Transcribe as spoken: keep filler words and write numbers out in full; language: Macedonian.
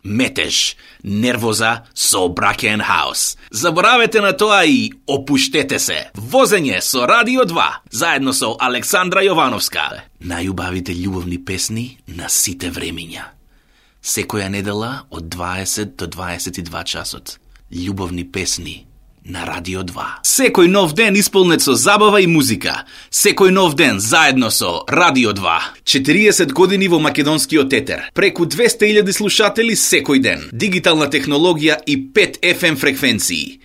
метеж, нервоза со Bracken House. Заборавете на тоа и опуштете се. Возење со Радио два, заедно со Александра Јовановска. Најубавите љубовни песни на сите времиња. Секоја недела од дваесет до дваесет и два часот. Љубовни песни на Радио два. Секој нов ден исполнет со забава и музика. Секој нов ден заедно со Радио два. четириесет години во македонскиот етер. Преку двесте илјади слушатели секој ден. Дигитална технологија и пет еф ем фреквенции.